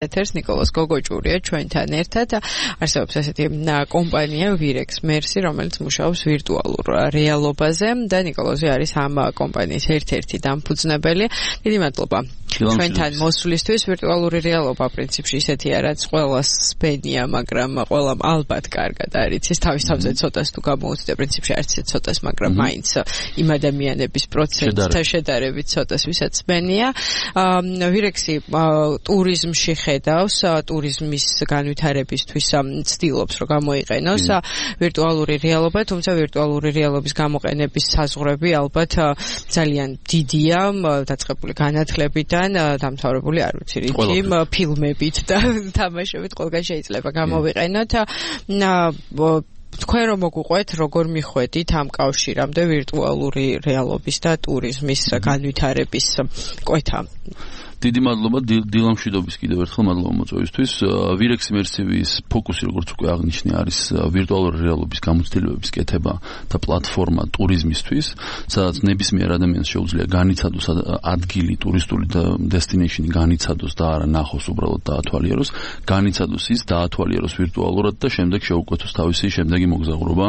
ეთერს ნიკოლოზ გოგოჭურია ჩვენთან ერთად არსებობს ესეთი კომპანია Virex Mercy, რომელიც მუშაობს ვირტუალურ რეალობაზე და ნიკოლოზი არის ამ კომპანიის ერთ-ერთი დამფუძნებელი. დიდი მადლობა ჩვენთან მოსვლისთვის. ვირტუალური რეალობა პრინციპში ისეთია, რაც ყველას სპენია, მაგრამ ყველამ ალბათ კარგად არის. ის თავის თავზე ცოტას თუ გამოუცდა პრინციპში არც ცოტას, მაგრამ მაინც იმ ადამიანების პროცენტთან შედარებით ცოტას ვისაც სპენია. Virex-ი ტურიზმში ხედავს, ტურიზმის განვითარებისთვის ცდილობს, რომ გამოიყენოს ვირტუალური რეალობა, თუმცა ვირტუალური რეალობის გამოყენების საზღვრები ალბათ ძალიან დიდია, დაწყებული განათლებიდან, დამთავრებული არ ვიცი რითი, ფილმებით და თამაშებით ყველგან შეიძლება გამოვიყენოთ. თქვენ რომ მოგუყვეთ, როგორ მიხვედით ამ კავშირამდე ვირტუალური რეალობის და ტურიზმის განვითარების კვეთა? დიდი მადლობა დილამშვიდობის კიდევ ერთხელ მადლობა მოწვევისთვის. Virex Mercy-ის ფოკუსი, როგორც უკვე აღნიშნე, არის ვირტუალური რეალობის გამოცდილებების კეთება და პლატფორმა ტურიზმისთვის, სადაც ნებისმიერ ადამიანს შეუძლია განიცადოს ადგილი, ტურისტული destination-ი განიცადოს და არა ნახოს, უბრალოდ დაათვალიეროს, განიცადოს ის, დაათვალიეროს ვირტუალურად და შემდეგ შეუკვეთოს თავისი შემდეგი მოგზაურობა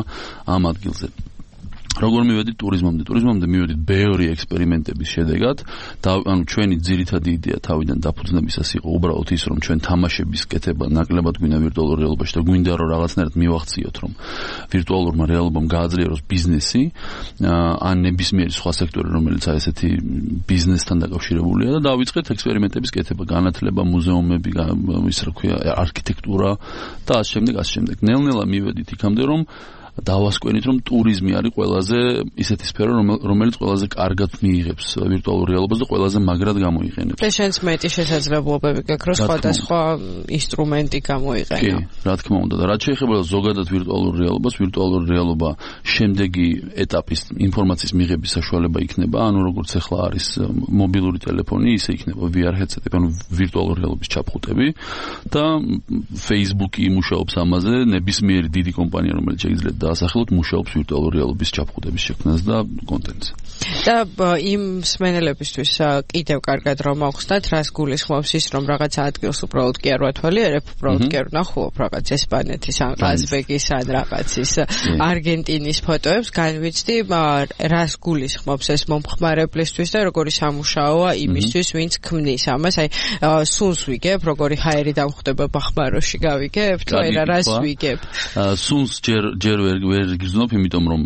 ამ ადგილზე. როგორ მივედით ტურიზმამდე? ტურიზმამდე მივედით ბევრი ექსპერიმენტების შედეგად და ჩვენი ძირითადი იდეა თავიდან დაფუძნებისას იყო უბრალოდ ის, რომ ჩვენ თამაშების კეთება ნაკლებად გვინდა ვირტუალურ რეალობაში და გვინდა რომ რაღაცნაირად მივახციოთ, რომ ვირტუალურმა რეალობამ გააძლიეროს ბიზნესი, ან ნებისმიერი სხვა სექტორი, რომელიც ესეთი ბიზნესთან დაკავშირებულია და დავიწყეთ ექსპერიმენტების კეთება, განათლება, მუზეუმები, ის რა ქვია, არქიტექტურა და ასე შემდეგ. ნელ-ნელა მივედით იქამდე, რომ დავასკვენით, რომ ტურიზმი არის ყველაზე ისეთი სფერო, რომელიც ყველაზე კარგად მიიღებს ვირტუალურ რეალობას და ყველაზე მაგრად გამოიყენებს. და შენს მეტი შესაძლებლობები გაქვს, რომ სხვადასხვა ინსტრუმენტი გამოიყენო. კი, რა თქმა უნდა. და რაც შეეხება ზოგადად ვირტუალურ რეალობას, ვირტუალური რეალობა შემდეგი ეტაპის ინფორმაციის მიღების საშუალება იქნება, ანუ როგორც ახლა არის მობილური ტელეფონი, ისე იქნება VR headset-ები, ანუ ვირტუალური რეალობის ჩაფხუტები და Facebook-ი მუშაობს ამაზე, ნებისმიერი დიდი კომპანია, რომელიც შეიძლება დაასახელოთ, მუშაობს ვირტუალური რეალობის ჩაფხუტების შექმნას და კონტენტზე. და იმ მსმენელებისთვის კიდევ კარგად რომ მოხსნათ, რას გულისხმობს ის, რომ რაღაც ადგილს უბრალოდ კი არ ვათვალიერებ, უბრალოდ კი არ ვნახულობ რაღაც ესპანეთის ან ყაზბეგის ან რაღაცის არგენტინის ფოტოებს, განვიცდი, რას გულისხმობს ეს მომხმარებლისთვის და როგორი სამუშაოა იმისთვის, ვინც ქმნის ამას, აი სუნს ვიგებ, როგორი ჰაერი დამხვდება ბახმაროში გავიგებთ, თუ არა რას ვიგებ? სუნს ჯერ ვერ გიზნობ, იმიტომ რომ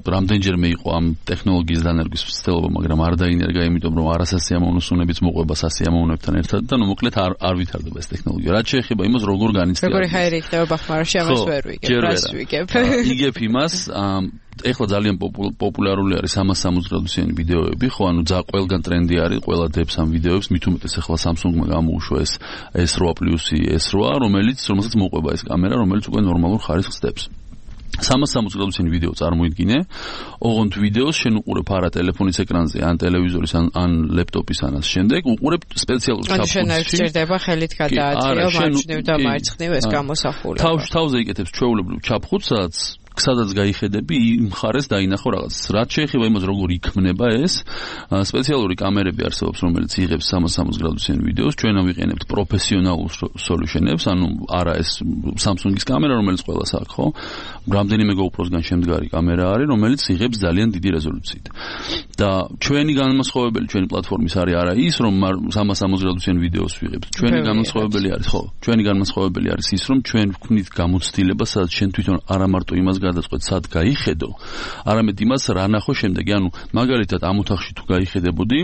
რამდენჯერმე იყო ამ ტექნოლოგიის დანერგვის ცდილობა, მაგრამ არ დაინერგა, იმიტომ რომ არასასიამოვნო სუნებიც მოყვება სასიამოვნოებთან ერთად და ნუ მოკლედ არ ვითარდება ეს ტექნოლოგია. რაც შეეხება იმას, როგორ განიცდია. როგორი ჰაერი იქნება ბახმაროში, ამას ვერ ვიგებ, რას ვიგებ. იგებ იმას, ეხლა ძალიან პოპულარული არის 360 გრადუსიანი ვიდეოები, ხო, ანუ ყველგან ტრენდი არის, ყველა დებს ამ ვიდეოებს, მით უმეტეს ახლა Samsung-მა გამოუშვა ეს S8 Plus-ი S8, რომელსაც მოყვება ეს კამერა, რომელიც უკვე ნორმალურ ხარისხს დებს. 360 გრადუსიანი ვიდეო წარმოიდგინე, ოღონდ ვიდეოს შენ უყურებ არა ტელეფონის ეკრანზე, ან ტელევიზორის, ან ლეპტოპის, ან ამ შემდეგ, უყურებ სპეციალურ ჩაფხუტში. შენ არ გჭირდება ხელით გადააწიო, მარჯვნივ და მარცხნივ ეს გამოსახულება. თავზე იკეთებს ჩვეულებრივ ჩაფხუტს, სადაც გაიხედები, იმ მხარეს დაინახო რაღაც. რაც შეეხება იმას, როგორ იქმნება ეს, სპეციალური კამერები არსებობს, რომელიც იღებს 360 გრადუსიან ვიდეოს. ჩვენ ავიყენებთ პროფესიონალურ სოლუშენებს, ანუ არა ეს Samsung-ის კამერა, რომელიც ყველას აქვს, ხო? რამდენიმე GoPro-სგან შემდგარი კამერა არის, რომელიც იღებს ძალიან დიდი რეზოლუციით. და ჩვენი განმასხვავებელი, ჩვენი პლატფორმის არის არა ის, რომ 360 გრადუსიან ვიდეოს ვიღებთ. ჩვენი განმასხვავებელი არის, ხო? ჩვენი განმასხვავებელი არის ის, რომ ჩვენ ვქმნით გამოცდილება, სადაც შენ თვითონ არა მარტო იმას გადაწყვეტ, სად გაიხედო, არამედ იმას რა ნახო შემდეგი. ანუ მაგალითად ამ ოთახში თუ გაიხედებოდი,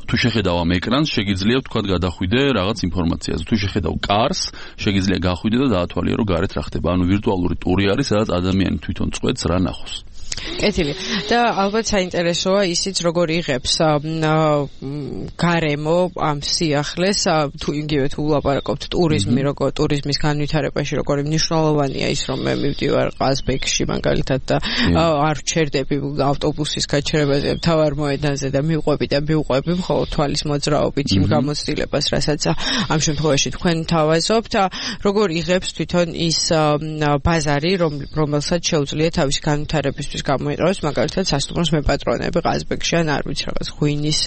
თუ შეხედავ ამ ეკრანს, შეგიძლია ვთქვათ გადახვიდე რაღაც ინფორმაციაზე. თუ შეხედავ კარს, შეგიძლია გახვიდე და დაათვალიერო გარეთ რა ხდება. ანუ ვირტუალური ტური არის, სადაც ადამიანი თვითონ წყვეტს რა ნახოს. კეთილი. და ალბათ საინტერესოა ისიც, როგორ იღებს გარემო ამ სიახლეს, თუ იგივე თუ ვლაპარაკობთ ტურიზმის განვითარებაში, როგორი მნიშვნელოვანია ის, რომ მე მივდივარ ყაზბეგში მაგალითად და არ ვჩერდები ავტობუსის გაჩერებაზე, მთავარ მოედანზე და მივყვები მხოლოდ თვალის მოძრაობით იმ გამოცდილებას, რასაც ამ შემთხვევაში თქვენ თავაზობთ, როგორ იღებს თვითონ ის ბაზარი, რომელსაც შეუძლია თავის განვითარებისთვის სექტორის გამოიყენოს, მაგალითად სასტუმროს მეპატრონები ყაზბეგში ან არ ვიცი რაღაც ღვინის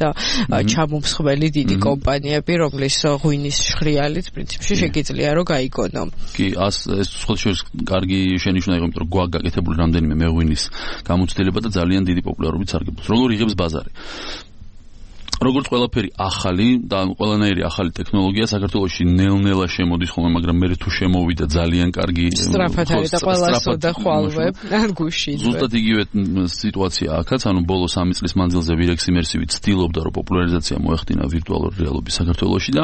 ჩამომსხველი დიდი კომპანიები, რომლის ღვინის შხრიალიც პრინციპში შეგიძლია რომ გაიგონო. კი, ეს სხვა შორის კარგი შენიშვნაა, იმიტომ რომ გვაქვს გაკეთებული რამდენიმე მეღვინის გამოცდილება და ძალიან დიდი პოპულარობით სარგებლობს. როგორ იღებს ბაზარი? როგორც ყველაფერი ახალი და ყველანაირი ახალი ტექნოლოგია საქართველოში ნელ-ნელა შემოდის ხოლმე, მაგრამ მე თუ შემოვიდა ძალიან კარგი სწრაფად არის და ყველასო და ხვალვებ ან გუშინ. ზუსტად იგივე სიტუაცია აქაც, ანუ ბოლო 3 წლის მანძილზე Virex Immersive ცდილობდა რომ პოპულარიზაცია მოეხდინა ვირტუალური რეალობის საქართველოში და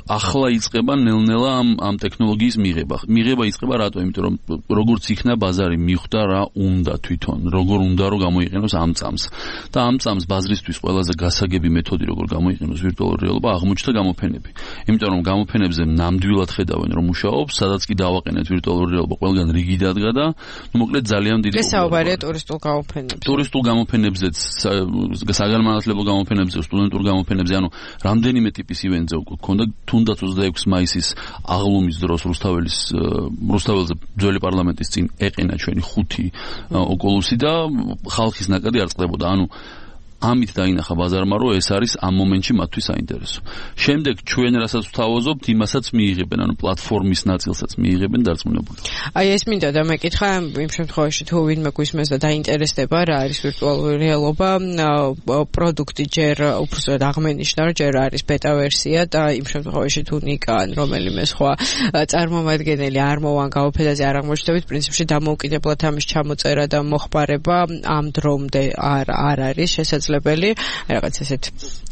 ახლა იწყება ნელ-ნელა ამ ტექნოლოგიის მიღება. მიღება იწყება რატო? იმიტომ რომ როგორც იქნა ბაზარი მიხვდა რა უნდა თვითონ, როგორ უნდა რომ გამოიყენოს ამ წამს. და ამ წამს ბაზრისთვის ყველაზე გასაგები მეთოდი როგორ გამოიყენოს ვირტუალური რეალობა აღმოჩნდა გამოფენები. იმიტომ რომ გამოფენებზე ნამდვილად ხედავენ რომ მუშაობს, სადაც კი დავაყენეთ ვირტუალური რეალობა ყველგან რიგი დადგა და მოკლედ ძალიან დიდი საუბარია ტურისტულ გამოფენებზე. ტურისტულ გამოფენებზეც, საგანმანათლებლო გამოფენებზე, სტუდენტურ გამოფენებზე, ანუ რამდენიმე ტიპის ივენტზე უკვე ქონდა. თუნდაც 26 მაისის აღლუმის დროს რუსთაველზე ძველი პარლამენტის წინ ეყინა ჩვენი 5 ოკულუსი და ხალხის ნაკადი არ წყდებოდა. ანუ ამით დაინახა ბაზარმა, რომ ეს არის ამ მომენტში მათთვის საინტერესო. შემდეგ ჩვენ რასაც ვთავაზობთ, იმასაც მიიღებენ, ანუ პლატფორმის ნაწილსაც მიიღებენ დარწმუნებული. აი ეს მინდა და მეკითხა იმ შემთხვევაში თუ ვინმე გვისმენს და დაინტერესდება რა არის ვირტუალური რეალობა, პროდუქტი ჯერ უბრალოდ აღმენიშნა, რომ ჯერ არის ბეტა ვერსია და იმ შემთხვევაში თუ ნიკა ან რომელიმე სხვა წარმომადგენელი არ მოვან გამოფენაზე არ აღმოჩნდებით, პრინციპში დამოუკიდებლად ამის ჩამოწერა და მოხმარება ამ დრომდე არ არის შესაძლებელი. რაღაც ესეთ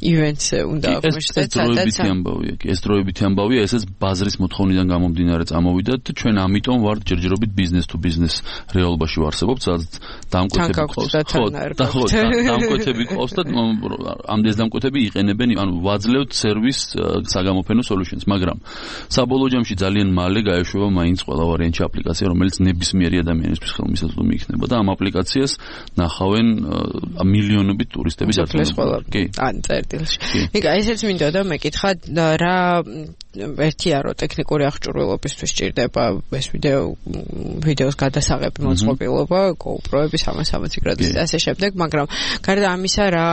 ივენტს უნდა აღმოჩნდეთ, სადაც ეს დროებითი ამბავია, ესეც ბაზრის მოთხოვნიდან გამომდინარე წამოვიდა და ჩვენ ამიტომ ვართ ჯერჯერობით business to business რეალობაში ვარსებობთ, სადაც დამკვეთები ყავს. დამკვეთები ყავს და ამ დამკვეთები იყენებენ, ანუ ვაძლევთ სერვის საგამოფენო solutions, მაგრამ საბოლოო ჯამში ძალიან მალე გაეშვება მაინც ყველა ვარიანტი აპლიკაცია, რომელიც ნებისმიერი ადამიანისთვის ხელმისაწვდომი იქნება და ამ აპლიკაციას ნახავენ მილიონობით ტურისტები დაწესებულა. ან წერტილში. ნიკა, ესეც მინდა და მეკითხა რა ერთია რომ ტექნიკური აღჭურვილობისთვის სჭირდება ეს ვიდეოს გადასაღები მოწყობილობა, GoPro-ები 360 გრადუსით და ასე შემდეგ, მაგრამ გარდა ამისა რა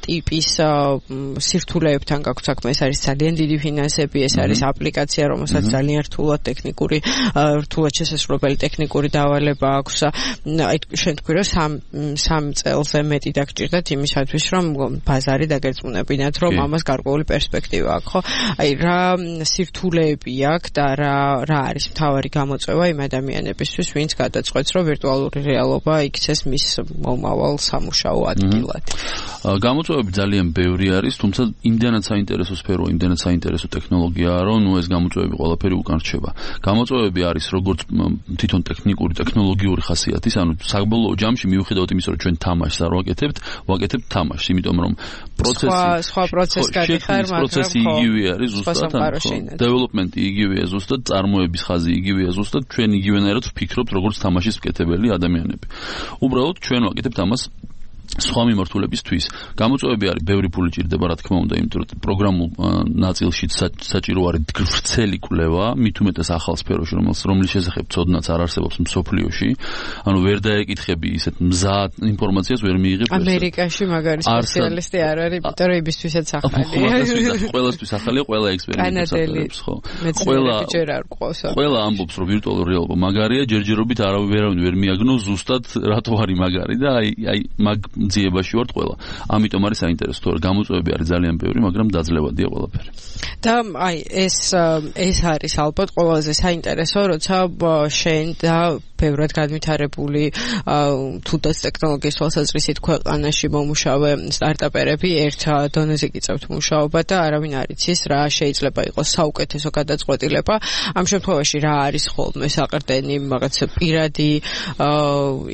ტიპის სირთულეებთან გაქვთ საქმე, ეს არის ძალიან დიდი ფინანსები, ეს არის აპლიკაცია, რომელსაც ძალიან რთულად შესაძლებელი ტექნიკური დავალება აქვს. აი შენ თქვი რომ 3 წელზე მეტი დაგჭირდათ იმისათვის რომ ბაზარი დაგერწმუნებინათ რომ ამას გარკვეული პერსპექტივა აქვს, ხო? აი რა სირთულეები აქვს და რა არის მთავარი გამოწვევა იმ ადამიანებისთვის, ვინც გადაწყვეტს რომ ვირტუალური რეალობა იქცეს მის მომავალ სამუშაო ადგილად. გამოწვევები ძალიან ბევრი არის, თუმცა იმდანაც საინტერესო სფერო, იმდანაც საინტერესო ტექნოლოგიაა, რომ ეს გამოწვევები ყველაფერი უკან რჩება. გამოწვევები არის როგორც თვითონ ტექნოლოგიური ხასიათის, ანუ საბოლოო ჯამში მიუხედავად იმისა, რომ ჩვენ თამაშს არ ვაკეთებთ თამაშს, იმიტომ რომ სხვა პროცესი გადიხარ, მაგრამ პროცესი იგივე არის ზუსტად, დეველოპმენტი იგივეა ზუსტად, წარმოების ხაზი იგივეა ზუსტად, ჩვენ იგივენაირად ვფიქრობთ როგორც თამაშის მკეთებელი ადამიანები. უბრალოდ ჩვენ ვაკეთებთ ამას სხვა მიმართულებისთვის. გამოწვევები არის, ბევრი ფული ჭირდება, რა თქმა უნდა, იმიტომ რომ პროგრამულ ნაწილში საჭირო არის ვრცელი კვლევა, მით უმეტეს ახალ სფეროში, რომლის შესახებ ცოდნაც არ არსებობს მსოფლიოში. ანუ ვერ დაეკითხები ისეთ მზად ინფორმაციას ვერ მიიღებ. ამერიკაში მაგარი სპეციალისტი არ არის, იმიტომ რომ იბისთვისაც ახალია. ყველასთვის ახალია, ყველა ექსპერიმენტს აკეთებს, ხო? ყველა ამბობს, რომ ვირტუალური რეალობა მაგარია, ჯერჯერობით არავინ ვერ მიაგნოს ზუსტად რატო არის მაგარი და აი მაგ ძიებაში ვართ ყველა. ამიტომ არის საინტერესო, თორე გამოწვევები არის ძალიან ბევრი, მაგრამ დაძლევადია ყველაფერი. და აი ეს არის ალბათ ყველაზე საინტერესო, როცა შენ და ბევრად განვითარებული თუნდაც ტექნოლოგიის თვალსაზრისით ქვეყანაში მომუშავე სტარტაპერები ერთ დონეზე გიწევთ მუშაობა და არავინ არ იცის რა შეიძლება იყოს საუკეთესო გადაწყვეტილება. ამ შემთხვევაში რა არის ხოლმე საყრდენი რაღაც პირადი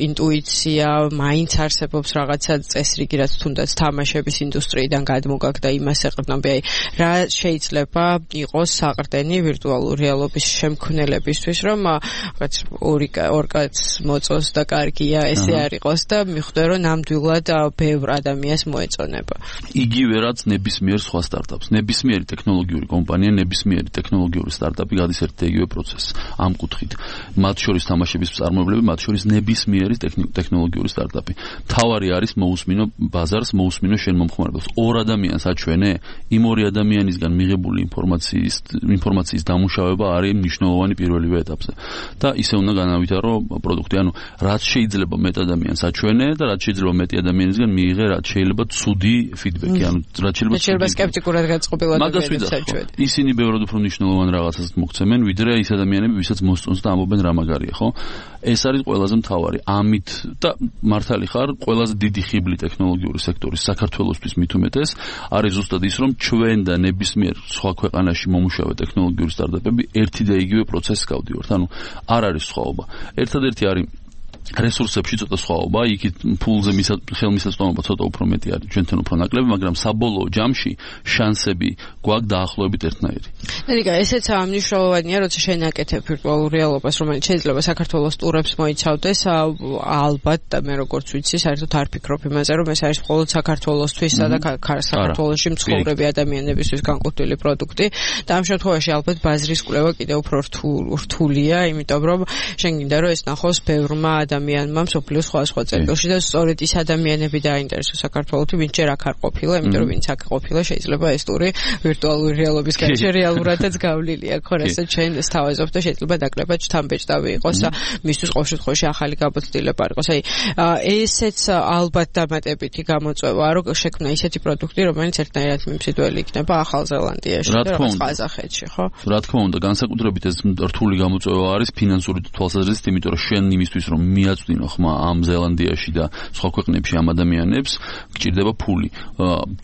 ინტუიცია, მაინც არსებობს რაღაც რაღაცა წესრიგი, რაც თუნდაც თამაშების ინდუსტრიიდან გადმოგაგდა იმას ეყრდნობი, აი რა შეიძლება იყოს საყრდენი ვირტუალური რეალობის შემქმნელებისთვის, რომ რაღაც ორი კაც მოწოს და კარგია ესე არ იყოს და მიხვდე რომ ნამდვილად ბევრ ადამიანს მოეწონება. იგივე რაც ნებისმიერ სხვა სტარტაპს, ნებისმიერი ტექნოლოგიური კომპანია, ნებისმიერი ტექნოლოგიური სტარტაპი გადის ერთ და იგივე პროცესს ამ კუთხით. მათ შორის თამაშების მწარმოებლები, მათ შორის ნებისმიერი ტექნოლოგიური სტარტაპი. თავარი არის მოусმინო ბაზარს, მოусმინო შენ მომხმარებელს. ორ ადამიანს აჩვენე, იმ ორი ადამიანისგან მიღებული ინფორმაციის დამუშავება არის მნიშვნელოვანი პირველივე ეტაპზე. და ისე უნდა განავითარო პროდუქტი, ანუ რაც შეიძლება მეტ ადამიანს აჩვენე და რაც შეიძლება მეტი ადამიანისგან მიიღე, რაც შეიძლება ცუდი ფიდბექი, ანუ რაც შეიძლება სკეპტიკურად გაწყობილ ადამიანებს აჩვენე. ისინი ბევრად უფრო მნიშვნელოვან რაღაცას მოგცემენ, ვიდრე ის ადამიანები, ვისაც მოსწონს და ამბობენ რა მაგარია, ხო? ეს არის ყველაზე მთავარი. ამით და მართალი ხარ, ყველაზე დიდი ხიბლი ტექნოლოგიური სექტორის საქართველოსთვის მით უმეტეს არის ზუსტად ის, რომ ჩვენ და ნებისმიერ სხვა ქვეყანაში მომუშავე ტექნოლოგიური სტარტაპები ერთი და იგივე პროცესს გავდივართ. ანუ არ არის სხვაობა. ერთადერთი არის რესურსებში ცოტა სხვაობა, იქით ფულზე ხელმისაწვდომობა ცოტა უფრო მეტი არის, ჩვენთან უფრო ნაკლები, მაგრამ საბოლოო ჯამში შანსები გვაქვს დაახლოებით ერთნაირი. ნიკა, ესეც მნიშვნელოვანია, როცა შენ აკეთებ ვირტუალურ რეალობას, რომელიც შეიძლება საქართველოს ტურებს მოიცავდეს, ალბათ და მე როგორც ვიცი, საერთოდ არ ფიქრობ იმაზე, რომ ეს არის მხოლოდ საქართველოსთვის და საქართველოში მცხოვრები ადამიანებისთვის განკუთვნილი პროდუქტი და ამ შემთხვევაში ალბათ ბაზრის კვლევა კიდევ უფრო რთულია, იმიტომ რომ შენ გინდა რომ ეს ნახოს ბევრმა ადამიანმა მსოფლიოს სხვა წერტილში და სწორედ ის ადამიანები დაინტერესოს საქართველოში, ვინც ჯერ აქ არ ყოფილა, იმიტომ რომ ვინც აქ ყოფილა, შეიძლება ეს ტური ვირტუალური რეალობის გარშე რეალურადაც გავლილი აქვს, ხო, რასაც ჩვენ სთავაზობთ და შეიძლება ნაკლებად შთამბეჭდავი იყოს და მისთვის ყოველ შემთხვევაში ახალი გამოცდილება იყოს. აი, ესეც ალბათ დამატებითი გამოწვევაა, რომ შექმნა ისეთი პროდუქტი, რომელიც ერთნაირად მიმსიდველი იქნება ახალ ზელანდიაში და რაღაც ყაზახეთში, ხო? რა თქმა უნდა, განსაკუთრებით ეს რთული გამოწვევა არის ფინანსური თვალსაზრისით, იმიტომ რომ შენ იმისთვის რომ მიაწვდინო ხმა ამ ზელანდიაში და სხვა ქვეყნებში ამ ადამიანებს, გჭირდება ფული.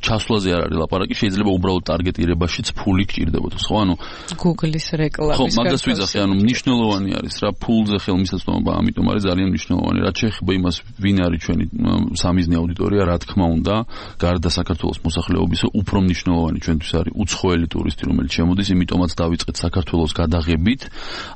ჩასვლაზე არ არის ლაპარაკი, შეიძლება უბრალოდ ტარგეტირებაშიც ფული გჭირდებოდეს, ხო? ანუ Google-ის რეკლამის ხო, მაგას ვიძახე, ანუ მნიშვნელოვანი არის რა ფულზე ხელმისაწვდომობა, ამიტომ არის ძალიან მნიშვნელოვანი. რაც შეეხება იმას, ვინ არის ჩვენი სამიზნე აუდიტორია, რა თქმა უნდა, გარდა საქართველოს მოსახლეობისა, უფრო მნიშვნელოვანი ჩვენთვის არის უცხოელი ტურისტი, რომელიც შემოდის, იმიტომაც დავიწყეთ საქართველოს გადაღებით,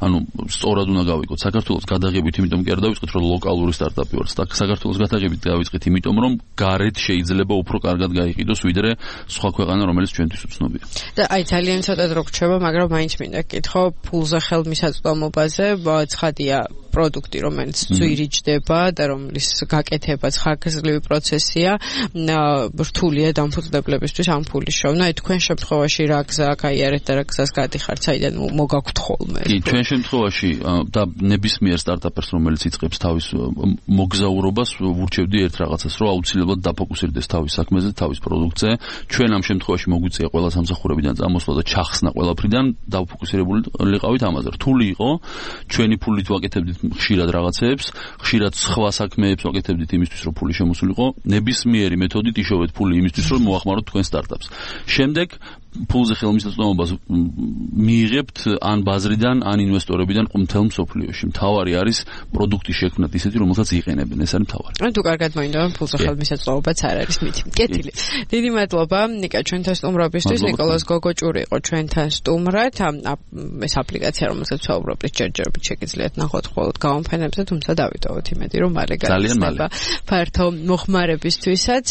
ანუ სწორად უნდა გავიგოთ, საქართველოს გადაღებით, იმიტომ კი არ დავიწყეთ, რომ ლოკალური სტარტაპი ვარ. საქართველოს გადაღებით დავიწყეთ, იმიტომ რომ გარეთ შეიძლება უფრო კარგად გაიყიდოს, ვიდრე სხვა ქვეყანა, რომელიც ჩვენთვის უცნობია. და აი ძალიან ცოტა დრო გრჩება, მაგრამ მაინც მინდა გკითხო, ფულზე ხელმისაწვდომობაზე, ცხადია პროდუქტი, რომელიც ძვირიჭდება და რომლის გაკეთებაც ხანგრძლივი პროცესია, რთულია დამფუძნებლებისთვის ამ ფულის შოვნა. აი თქვენ შემთხვევაში რა გზა გაიარეთ და რა გზას გადიხართ, საიდან მოგაქვთ ხოლმე? კი, ჩვენ შემთხვევაში და ნებისმიერ სტარტაპერს, რომელიც იწყებს თავის მოგზაურობას, ვურჩევდი ერთ რაღაცას, რომ აუცილებლად დაფოკუსირდეს თავის საქმეზე, თავის პროდუქტზე. ჩვენ ამ შემთხვევაში მოგვიწია ყველა სამსახურებიდან წამოსვლა და ჩახსნა ყველაფრიდან, დაფოკუსირებული ვიყავით ამაზე. რთული იყო, ჩვენი ფულით ვაკეთებდით ხშირად რაღაცებს, ხშირად სხვა საქმეებს ვაკეთებდით იმისთვის, რომ ფული შემოსულიყო. ნებისმიერი მეთოდით იშოვეთ ფული იმისთვის, რომ მოახმაროთ თქვენ სტარტაპს. შემდეგ ფულზე ხელმისაწვდომობას მიიღებთ ან ბაზრიდან, ან ინვესტორებიდან მთელ მსოფლიოში. მთავარი არის პროდუქტის შექმნათ ისეთი, რომელსაც იყენებენ. ეს არის მთავარი. თუ კარგად მოინდა, ფულზე ხელმისაწვდომობაც არ არის მითი. კეთილი. დიდი მადლობა ნიკა ჩვენთან სტუმრობისთვის. ნიკოლოზ გოგოჭური იყო ჩვენთან სტუმრად. ეს აპლიკაცია, რომელსაც ვსაუბრობთ, ჯერჯერობით შეგიძლიათ ნახოთ მხოლოდ გაონფენებზე, თუმცა დავიტოვოთ იმედი, რომ მალე გაიხსნება ფართო მოხმარებისთვისაც.